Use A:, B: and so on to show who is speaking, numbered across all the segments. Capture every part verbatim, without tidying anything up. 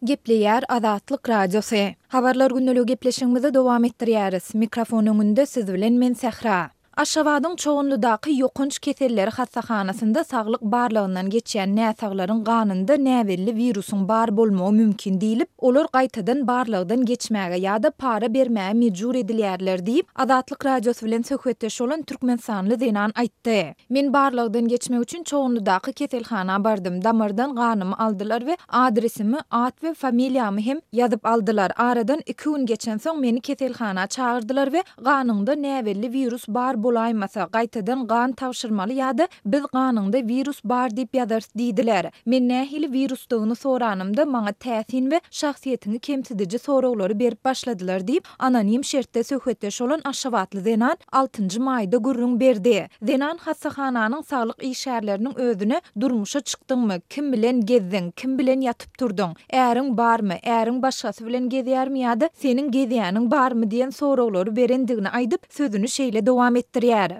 A: Gepleýär Azatlyk Radiosy. Habarlar gündeligi gepleşigimizi dowam etdirýäris. Mikrofon öňünde siz bilen men Sähra. Aşgabadyň Çoganlydaky ýokanç keselleri hassahanasynda saglyk barlagyndan geçýän näsaglaryň ganynda näbelli wirusyň bar bolmagy mümkin diýlip, olar gaýtadan barlagdan geçmäge ýa-da para bermäge mejbur edilýärler diýip, Azatlyk Radiosy bilen söhbetdeş bolan türkmenistanly zenan aýtdy. Men barlagdan geçmek üçin Çoganlydaky keselhana bardym. Damardan ganymy aldylar we adresimi, at we familiýamy hem ýazyp aldylar. Aradan iki gün geçensoň meni keselhana çagyrdylar we ganyňda näbelli wirus bar bolaýmasa, gaýtadan gan tabşyrmaly ýa-da biz ganyňda wirus bar diýip ýazarys diýdiler. Men nähili wirusdygyny soranymda maňa täsin we şahsyýetiňi kemsidiji soraglary berip başladylar diýip, anonim şertde söhbetdeş bolan aşgabatly zenan altynjy maýda gürrüň berdi. Zenan hassahananyň saglyk işgärleriniň özüne durmuşa çykdyňmy, kim bilen gezdiň, kim bilen ýatyp turduň, äriň barmy, äriň başgasy bilen gezýärmi ýa-da seniň gezýäniň barmy diýen soraglary berendigini aýdyp, sözüni şeýle dowam etdirýär.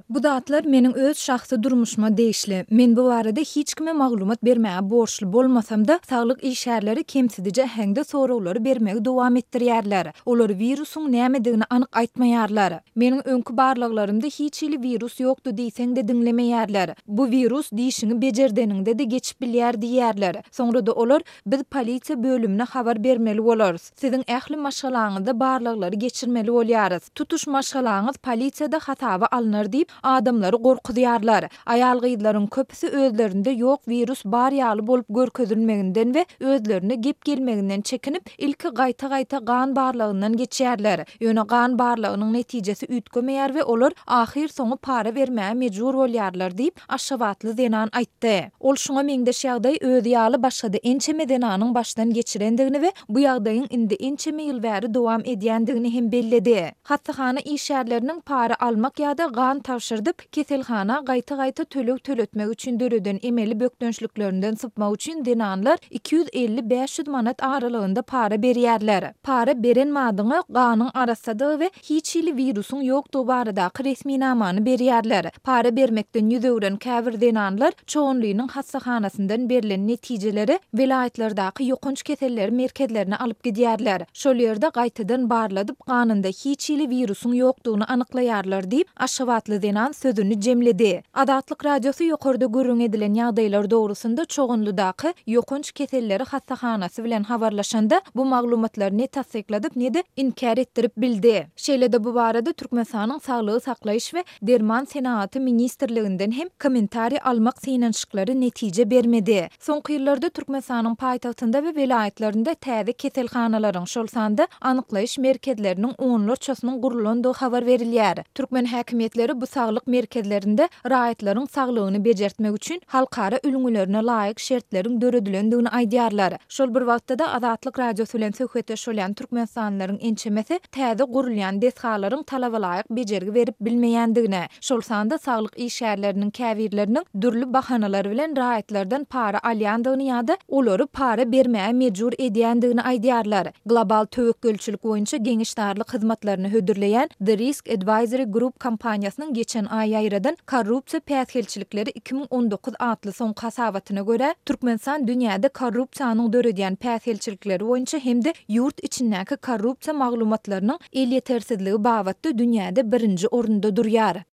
A: Bu zatlar meniň öz şahsy durmuşyma degişli. Men bu barada hiç kime maglumat bermäge borçly bolmasam-da, saglyk işgärleri kemsidiji äheňde soraglary bermegi dowam etdirýärler. Olar wirusyň nämedigini anyk aýtmaýarlar. Meniň öňki barlaglarymda hiç hili wirus ýokdy diýseň-de diňlemeýärler. Bu wirus dişiňi bejerdeniňde-de geçip bilýär diýýärler. Soňra-da olar biz polisiýa bölümine habar bermeli bolarys. Siziň ähli maşgalaňyzda barlaglary geçirmeli bolýarys. Tutuş maşgalaňyz polisiýada hasaba alnar diýip, adamlary gorkuzýarlar. Aýal-gyzlaryň köpüsi özlerinde ýok wirus bar ýaly bolup görkezilmeginden we özlerine gep gelmeginden çekinip, ilki gaýta-gaýta gan barlagyndan geçýärler. Ýöne gan barlagynyň netijesi üýtgemeýär we olar ahyr soňy para bermäge mejbur bolýarlar diýip, Aşgabatly zenan aýtdy. Ol şuňa meňzeş ýagdaý özi ýaly başga-da ençeme zenanyň başdan geçirendigini we bu ýagdaýyň indi ençeme ýyl bäri dowam edýändigini hem belledi. Hassahana işgärleriniň para almak ýa-da gan tabşyrdyp, keselhana gaýta-gaýta töleg töletmek üçin döreden emeli bökdençliklerinden sypmak üçin zenanlar iki ýüz elli bäş ýüz manat aralygynda para berýärler. Para beren madyňa ganyň arassadygy we hiç hili wirusyň ýokdugy baradaky resminamany berýärler. Para bermekden ýüz öwren käbir zenanlar Çoganlynyň hassahanasyndan berlen netijeleri welaýatlardaky ýokanç keselleri merkezlerine alyp gidýärler. Şol ýerde gaýtadan barladyp, ganynda hiç hili wirusyň ýokdugyny anyklaýarlar diýip, Aşgabatly zenan sözüni jemledi. Azatlyk Radiosy ýokarda gürrüň edilen ýagdaýlar dogrusynda Çoganlydaky ýokanç keselleri hassahanasy bilen habarlaşanda bu maglumatlary ne tassykladyp, ne-de inkär etdirip bildi. Şeýle-de bu barada Türkmenistanyň Saglygy saklaýyş we derman senagaty ministrliginden hem kommentariý almak synanyşyklary netije bermedi. Soňky ýyllarda Türkmenistanyň paýtagtynda we welaýatlarynda täze keselhanalaryň, şol sanda anyklaýyş merkezleriniň onlarçasynyň gurlandygy habar berilýär. Türkmen häkimiýetleri bu saglyk merkezlerinde raýatlaryň saglygyny bejertmek üçin halkara ülňülerine laýyk şertleriň döredilendigini aýdýarlar. Şol bir wagtda-da Azatlyk Radiosy bilen söhbetdeş bolýan türkmenistanlylaryň ençemesi täze gurulýan desgalaryň talabalaýyk bejergi berip bilmeýändigine, şol sanda saglyk işgärleriniň käbirleriniň dürli bahanalar bilen raýatlardan para alýandygyny ýa-da olary para bermäge mejbur edýändigini aýdýarlar. Global töwekgelçilik boýunça geňeşdarlyk hyzmatlaryny hödürleýän The Risk Advisory Group kompaniýasynyň geçen aý ýaýradan Korrupsiýa päsgelçilikleri iki müň on dokuz atly soňky hasabatyna görä, Türkmenistan dünýäde korrupsiýanyň döredýän päsgelçilikleri boýunça hem-de ýurt içindäki korrupsiýa maglumatlarynyň elýetersizligi babatda dünýäde birinji orunda durýar.